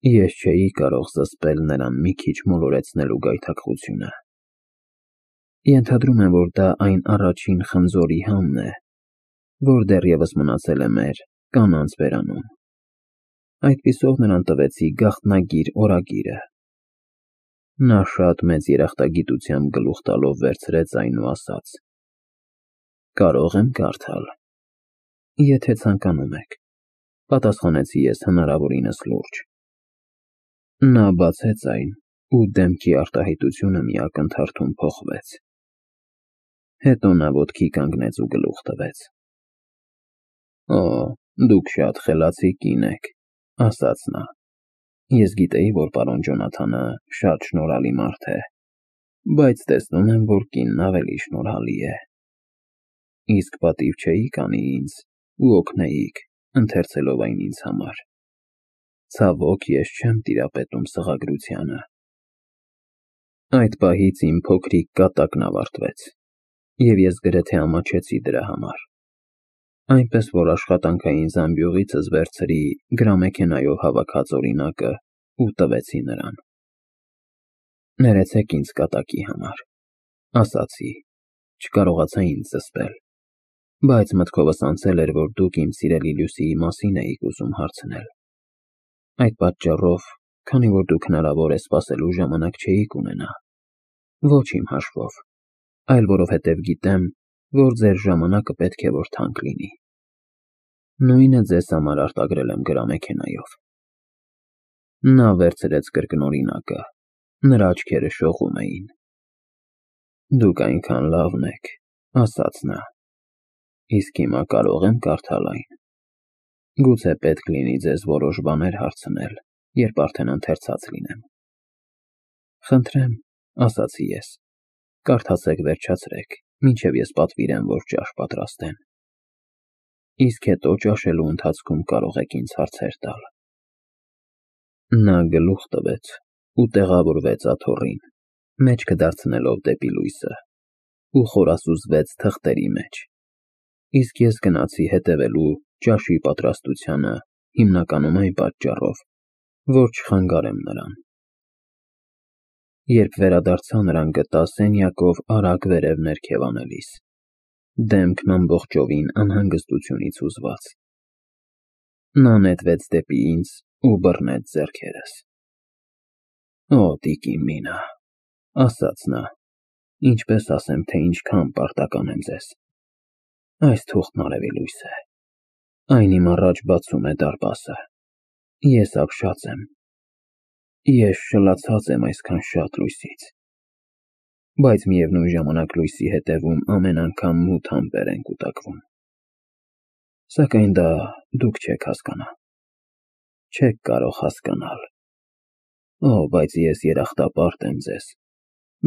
Ես չէի կարող զսպել նրան մի քիչ մոլորեցնելու գայթակղությունը։ Ենթադրում եմ, որ դա այն առաջին խնձորի համն է, որ դեռևս մնացել է մեր կանանց բերանում։ Այդպիսով նրան տվեցի գաղտնագիր օրագիրը։ Նա շատ մեծ երախտագիտությամբ գլուխ տալով վերցրեց այն ու ասաց. «Կարող եմ կարդալ»։ Եթե ցանկանում եք, պատասխանեցի ես հնարավորինս լուրջ։ Նա բացեց այն, ու դեմքի արտահայտությունը մի ակնթարթում փոխվեց։ Հետո նա ոտքի կանգնեց ու գլուխ տվեց։ «Օ, դուք շատ խելացի կին եք», ասաց նա։ Ես գիտեի, որ պարոն Ջոնաթանը շատ շնորհալի մարդ է, բայց տեսնում եմ, որ կինն ավելի շնորհալի է։ Իսկ պատիվ չէիք անի ինձ ու օգնեիք, ընթերցելով այն ինձ համար։ Ցավոք, ես չեմ տիրապետում սղագրությանը։ Այդ պահից իմ փոքրիկ կատակն ավարտվեց, և ես գրեթե ամաչեցի դրա համար, այնպես որ աշխատանքային զամբյուղիցս վերցրի գրամեքենայով հավաքած օրինակը ու տվեցի նրան։ Ներեցեք ինձ կատակի համար, ասացի, չկարողացա ինձ զսպել, բայց մտքովս անցել էր, որ դուք իմ սիրելի Լյուսիի մասին էիք ուզում հարցնել։ Այդ պատճառով, քանի որ դուք հնարավոր է սպասելու ժամանակ չէիք ունենա, ոչ իմ հաշվով, այլ որովհետև գիտեմ, որ ձեր ժամանակը պետք է որ թանկ լինի, նույնը ձեզ համար արտագրել եմ գրամեքենայով։ Նա վերցրեց կրկնօրինակը, նրա աչքերը շողում էին։ Դուք այնքան լավն եք, ասաց նա, իսկ հիմա կարող եմ կարդալ այն։ Գուցե պետք լինի ձեզ որոշ բաներ հարցնել, երբ արդեն ընթերցած լինեմ։ Խնդրեմ, ասացի ես, կարդացեք վերջացրեք, մինչև ես պատվիրեմ, որ ճաշ պատրաստեն։ Իսկ հետո ճաշելու ընթացքում կարող եք ինձ հարցեր տալ։ Նա գլուխ տվեց ու տեղավորվեց աթոռին, մեջքը դարձնելով դեպի լույսը, ու խորասուզվեց թղթերի մեջ, իսկ ես գնացի հետևելու ճաշի պատրաստությանը հիմնականում այն պատճառով, որ չխանգարեմ նրան։ Երբ վերադարձա, նրան գտա սենյակով արագ վերև ներքև անելիս, դեմքն ամբողջովին անհանգստությունից հուզված։ Նա նետվեց դեպի ինձ ու բռնեց ձեռքերս։ Օ, տիկին Մինա, ասաց նա, ինչպես ասեմ, թե ինչքան պարտական եմ ձեզ։ Այս թուղթն արևի լույս է։ Այն իմ առաջ բացում է դարպասը։ Ես ապշած եմ։ Ես շլացած եմ այսքան շատ լույսից։ Բայց միևնույն ժամանակ լույսի հետևում ամեն անգամ մութ ամպեր են կուտակվում։ Սակայն դա դուք չեք հասկանա։ Չեք կարող հասկանալ։ Օ, բայց ես երախտապարտ եմ ձեզ։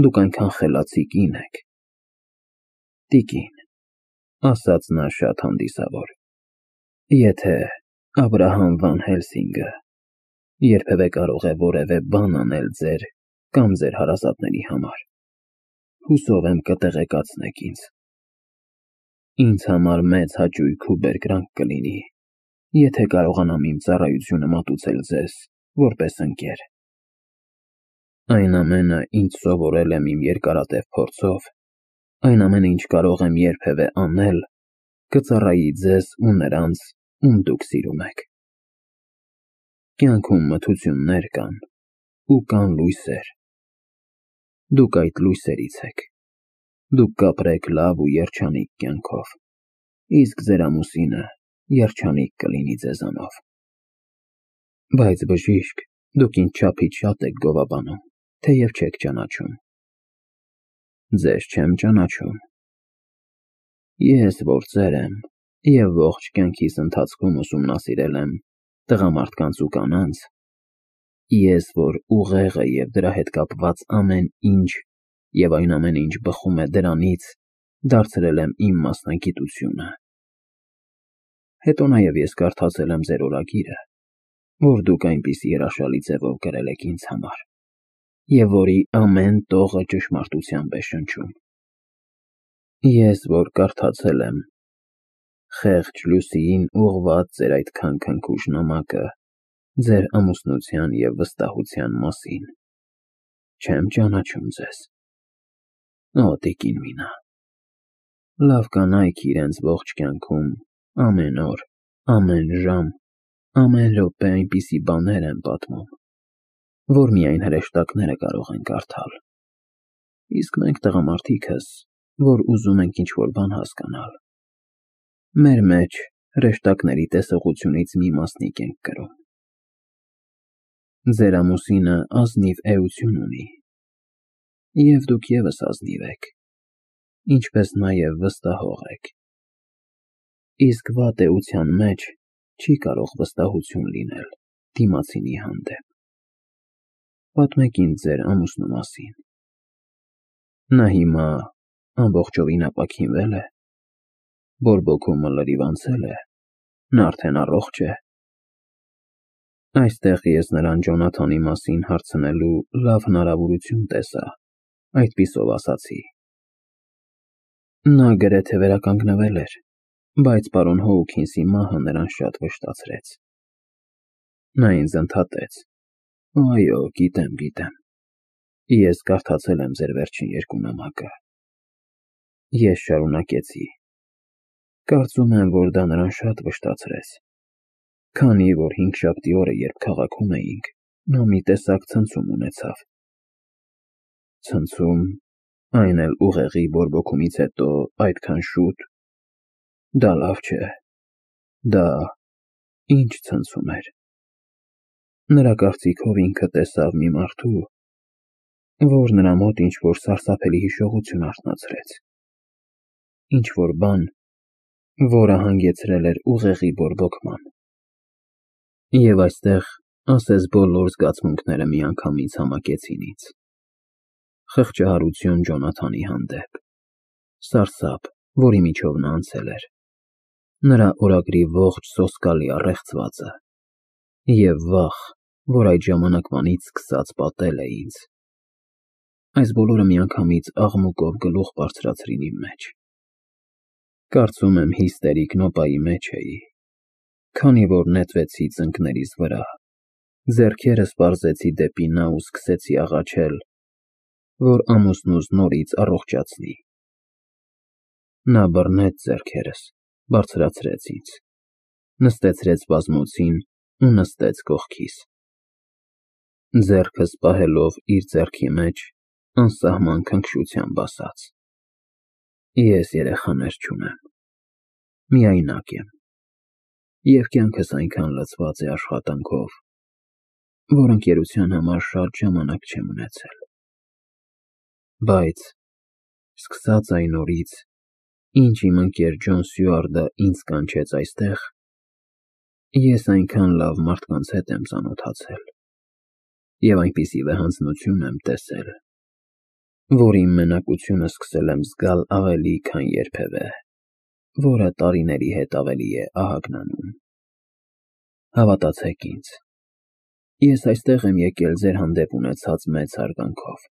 Դուք այնքան խելացի կին եք։ Տիկին, ասաց նա շատ հանդիսավոր, եթե Աբրահամ Վան Հելսինգը երբևէ կարող է որևէ բան անել ձեր կամ ձեր հարազատների համար, հուսով եմ կտեղեկացնեք ինձ։ Ինձ համար մեծ հաճույք ու բերկրանք կլինի, եթե կարողանամ իմ ծառայությունը մատուցել ձեզ որպես ընկեր։ Այն ամենը, ինչ սովորել եմ իմ երկարատև փորձով, այն ամենը, ինչ կարող եմ երբևէ անել, կծառայի ձեզ ու նրանց, ում դուք սիրում եք։ Կյանքում մթություններ կան ու կան լույսեր։ Դուք այդ լույսերից եք։ Դուք կապրեք լավ ու երջանիկ կյանքով, իսկ ձեր ամուսինը երջանիկ կլինի ձեզանով։ Բայց բժիշկ, դուք ինձ չափից շատ եք գովաբանում, թեև չեք ճանաչում։ Ձեզ չեմ ճանաչում։ Ես որ ծեր եմ և ողջ կյանքիս ընթացքում ուսումնասիրել եմ տղամարդկանց ու կանանց, ես որ ուղեղը և դրա հետ կապված ամեն ինչ և այն ամենը, ինչ բխում է դրանից, դարձրել եմ իմ մասնագիտությունը։ Հետո նաև ես կարդացել եմ ձեր օրագիրը, որ դուք այնպիսի հրաշալի ձևով գրել եք ինձ համար, և որի ամեն տողը ճշմարտությամբ է շնչում։ Ես որ կարդացել եմ խեղճ Լյուսիին ուղղված ձեր այդ քանքնքուշ նամակը, ձեր ամուսնության և վստահության մասին։ Չեմ ճանաչում ձեզ։ Օ, տիկին Մինա, լավ կանայք իրենց ողջ կյանքում ամեն օր, ամեն ժամ, ամեն րոպե այնպիսի բաներ են պատմում, որ միայն հրեշտակները կարող են կարդալ։ Իսկ մենք տղամարդիկս, որ ուզում ենք ինչ-որ բան հասկանալ, մեր մեջ հրեշտակների տեսողությունից մի մասնիկ ենք կրում։ Ձեր ամուսինը ազնիվ էություն ունի, և դուք ևս ազնիվ եք, ինչպես նաև վստահող եք։ Իսկ վատ էության մեջ չի կարող վստահություն լինել դիմացինի հանդեպ։ Պատմեք ինձ ձեր ամուսնու մասին։ Նա հիմա ամբողջովին ապաքինվե՞լ է, բորբոքումը լրիվ անցե՞լ է, նա արդեն առողջ է։ Այստեղ ես նրան Ջոնաթանի մասին հարցնելու լավ հնարավորություն տեսա, այդպիսով ասացի. Նա գրեթե վերականգնվել էր, բայց պարոն Հոուքինսի մահը նրան շատ վշտացրեց։ Նա ինձ ընդհատեց. Այո, գիտեմ։ Ես կարդացել եմ ձեր վերջին երկու նամակը։ Ես շարունակեցի. Կարծում եմ, որ դա նրան շատ վշտացրեց, քանի որ հինգշաբթի օրը, երբ քաղաքում էինք, նա մի տեսակ ցնցում ունեցավ։ Ցնցում, այն էլ ուղեղի բորբոքումից հետո այդքան շուտ։ Դա լավ չէ։ Դա ինչ ցնցում էր։ Նրա կարծիքով ինքը տեսավ մի մարդու, որ նրա մոտ ինչ-որ սարսափելի հիշողություն արթնացրեց։ Ինչ-որ բան, որը հանգեցրել էր ուղեղի բորբոքման։ Եվ այստեղ, ասես բոլոր զգացմունքները միանգամից համակեցին ինձ. խղճահարություն Ջոնաթանի հանդեպ, սարսափ, որի միջով նա անցել էր, նրա օրագրի ողջ սոսկալի առեղծվածը, և վախ, որ այդ ժամանակվանից սկսած պատել է ինձ։ Այս բոլորը միանգամից աղմուկով գլուխ բարձրացրին իմ մեջ։ Կարծում եմ հիստերիկ նոպայի մեջ էի, քանի որ նետվեցի ծնկներիս վրա, ձեռքերս պարզեցի դեպի նա ու սկսեցի աղաչել, որ ամուսնուս նորից առողջացնի։ Նա բռնեց ձեռքերս, բարձրացրեց ինձ, նստեցրեց բազմոցին ու նստեց կողքիս։ Ձեռքս պահելով իր ձեռքի մեջ, անսահման քնքշությամբ ասաց. Ես երեխաներ չունեմ, միայնակ եմ, և կյանքս այնքան լցված է աշխատանքով, որ ընկերության համար շատ ժամանակ չեմ ունեցել։ Բայց սկսած այն օրից, ինչ իմ ընկեր Ջոն Սյուարտը ինձ կանչեց այստեղ, ես այնքան լավ մարդկանց հետ եմ ծանոթացել և այնպիսի վեհանձնություն եմ տեսել, որ իմ մենակությունը սկսել եմ զգալ ավելի, քան երբևէ, որը տարիների հետ ավելի է ահագնանում։ Հավատացեք ինձ, ես այստեղ եմ եկել ձեր հանդեպ ունեցած մեծ հարգանքով,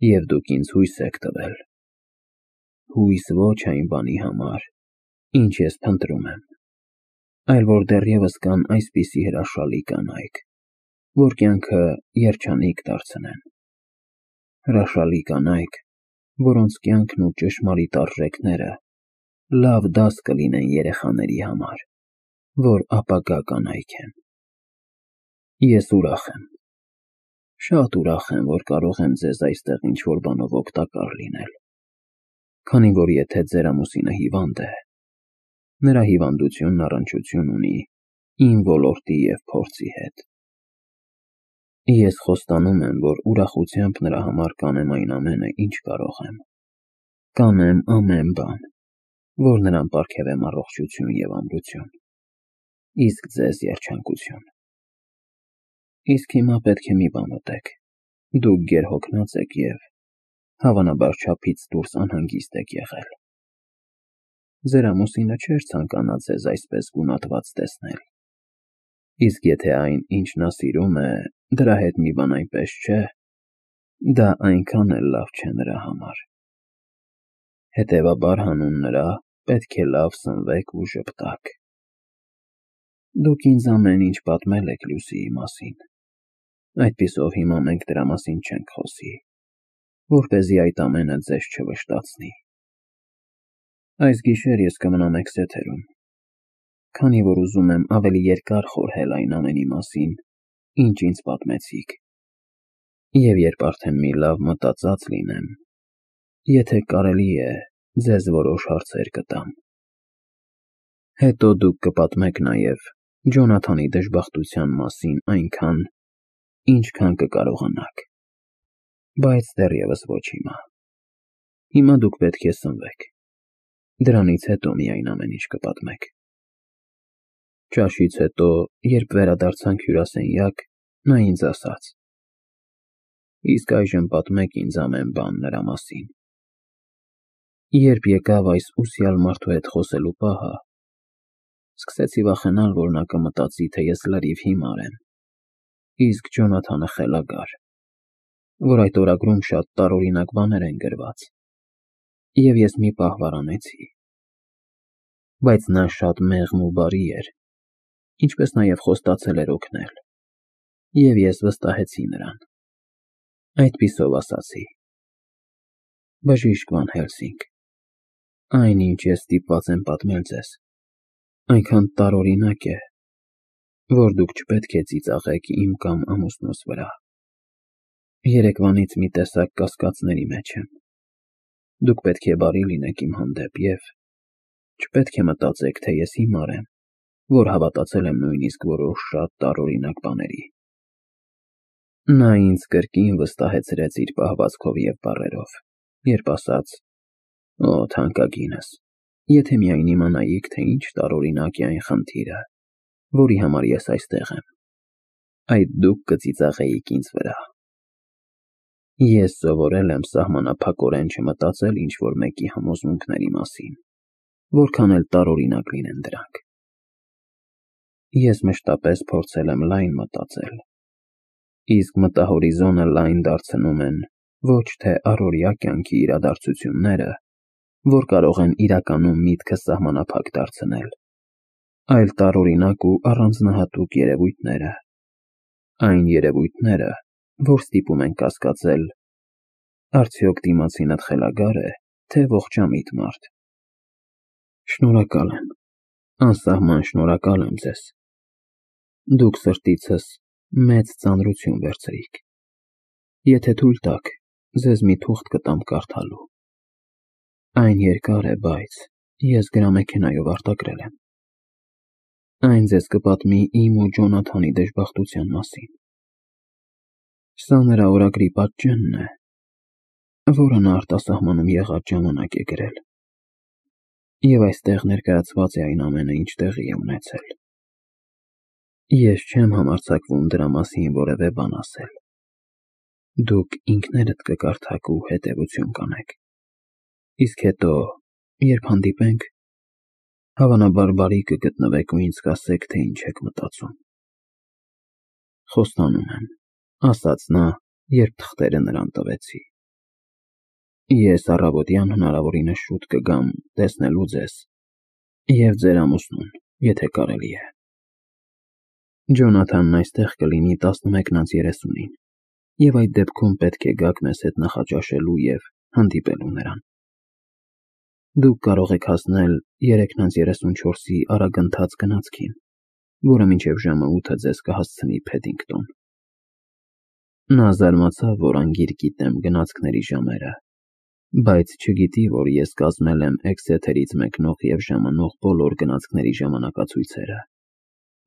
և դուք ինձ հույս եք տվել։ Հույս ոչ այն բանի համար, ինչ ես փնտրում եմ, այլ որ դեռևս կան այսպիսի հրաշալի կանայք, որ կյանքը երջանիկ դարձնեն։ Հրաշալի կանայք, որոնց կյանքն ու ճշմարիտ արժեքները լավ դաս կլինեն երեխաների համար, որ ապագա կանայք են։ Ես ուրախ եմ, շատ ուրախ եմ, որ կարող եմ ձեզ այստեղ ինչ-որ բանով օգտակար լինել, քանի որ եթե ձեր ամուսինը հիվանդ է, նրա հիվանդությունն առնչություն ունի իմ ոլորտի և փորձի հետ։ Ես խոստանում եմ, որ ուրախությամբ նրա համար կանեմ այն ամենը, ինչ կարող եմ։ Կանեմ ամեն բան, որ նրան պարգևեմ առողջություն և ամրություն, իսկ ձեզ երջանկություն։ Իսկ հիմա պետք է մի բան ուտեք, դուք գերհոգնած եք և, հավանաբար, չափից դուրս անհանգիստ եք եղել։ Ձեր ամուսինը չէր ցանկանա ձեզ այսպես գունատված տեսնել, իսկ եթե այն, ինչ նա սիրում է, դրա հետ մի բան այնպես չէ, դա այնքան էլ լավ չէ նրա համար։ Հետևաբար հանուն նրա պետք է լավ սնվեք ու ժպտաք։ Դուք ինձ ամեն ինչ պատմել եք Լյուսիի մասին, այդպիսով հիմա մենք դրա մասին չենք խոսի, որպեսզի այդ ամենը ձեզ չվշտացնի։ Այս գիշեր ես կմնամ Էքսեթերում, քանի որ ուզում եմ ավելի երկար խորհել այն ամենի մասին, ինչ ինձ պատմեցիք, և երբ արդեն մի լավ մտածած լինեմ, եթե կարելի է, ձեզ որոշ հարցեր կտամ։ Հետո դուք կպատմեք նաև Ջոնաթանի դժբախտության մասին այնքան, ինչքան կկարողանաք, բայց դեռևս ոչ հիմա։ Հիմա դուք պետք է սնվեք, դրանից հետո միայն ամեն ինչ կպատմեք։ Ճաշից հետո, երբ վերադարձանք հյուրասենյակ, նա ինձ ասաց. իսկ այժմ պատմեք ինձ ամեն բան նրա մասին։ Երբ եկավ այս ուսյալ մարդու հետ խոսելու պահը, սկսեցի վախենալ, որ նա կմտածի, թե ես լրիվ հիմար եմ, իսկ Ջոնաթանը խելագար, որ այդ օրագրում շատ տարօրինակ բաներ են գրված, և ես մի պահ վարանեցի։ Բայց նա շատ մեղմ ու բարի էր, ինչպես նաև խոստացել էր օգնել, և ես վստահեցի նրան։ Այդպիսով ասացի. բժիշկ Վան Հելսինգ, այն, ինչ ես ստիպված եմ պատմել ձեզ, այնքան տարօրինակ է, որ դուք չպետք է ծիծաղեք իմ կամ ամուսնուս վրա։ Երեկվանից մի տեսակ կասկածների մեջ եմ։ Դուք պետք է բարի լինեք իմ հանդեպ և չպետք է մտածեք, թե ես հիմար եմ, որ հավատացել եմ նույնիսկ որոշ շատ տարօրինակ բաների։ Նա ինձ կրկին վստահեցրեց իր պահվածքով և բառերով, երբ ասաց. «Օ, թանկագինս, եթե միայն իմանայիք, թե ինչ տարօրինակ է այն խնդիրը, որի համար ես այստեղ եմ, այդ դուք կծիծաղեիք ինձ վրա։ Ես սովորել եմ սահմանափակորեն չմտածել ինչ-որ մեկի համոզմունքների մասին, որքան էլ տարօրինակ լինեն դրանք։ Ես մշտապես փորձել եմ լայն մտածել, իսկ մտահորիզոնը լայն դարձնում են ոչ թե առօրյա կյանքի իրադարձությունները, որ կարող են իրականում միտքը սահմանափակ դարձնել, այլ տարօրինակ ու առանձնահատուկ երևույթները, այն երևույթները, որ ստիպում են կասկածել, արդյոք դիմացինդ խելագար է, թե ողջամիտ մարդ։ Շնորհակալ եմ, անսահման շնորհակալ եմ ձեզ։ Դուք սրտիցս մեծ ծանրություն վերցրիք։ Եթե թույլ տաք, ձեզ մի թուղթ կտամ կարդալու։ Այն երկար է, բայց ես գրամեքենայով արտագրել եմ։ Այն ձեզ կպատմի իմ ու Ջոնաթանի դժբախտության մասին։ Սա նրա օրագրի պատճենն է, որը նա արտասահմանում եղած ժամանակ է գրել, և այստեղ ներկայացված է այն ամենը, ինչ տեղի է ունեցել։ Ես չեմ համարձակվում դրա մասին որևէ բան ասել։ Դուք ինքներդ կկարդաք ու հետևություն կանեք, իսկ հետո, երբ հանդիպենք, հավանաբար բարի կգտնվեք ու ինձ կասեք, թե ինչ եք մտածում։ Խոստանում եմ, ասաց նա, երբ թղթերը նրան տվեցի։ Ես առավոտյան հնարավորինս շուտ կգամ տեսնելու ձեզ և ձեր ամուսնուն, եթե կարելի է։ Ջոնաթանն այստեղ կլինի 11:30-ին, և այդ դեպքում պետք է գաք մեզ հետ նախաճաշելու և հանդիպելու նրան։ Դուք կարող եք հասնել 3:34-ի արագընթաց գնացքին, որը մինչև ժամը 8 ձեզ կհասցնի Փեդինգտոն։ Նա զարմացավ, որ անգիր գիտեմ գնացքների ժամերը, բայց չգիտի, որ ես կազմել եմ Էքսեթերից մեկնող և ժամանող բոլոր գնացքների ժամանակացույցերը,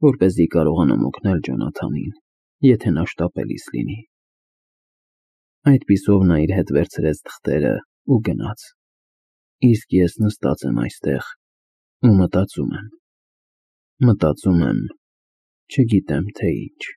որպեսզի կարողանամ օգնել Ջոնաթանին, եթե նա շտապելիս լինի։ Այդպիսով նա իր հետ վերցրեց թղթերը ու գնաց, իսկ ես նստած եմ այստեղ ու մտածում եմ, չգիտեմ թե ինչ։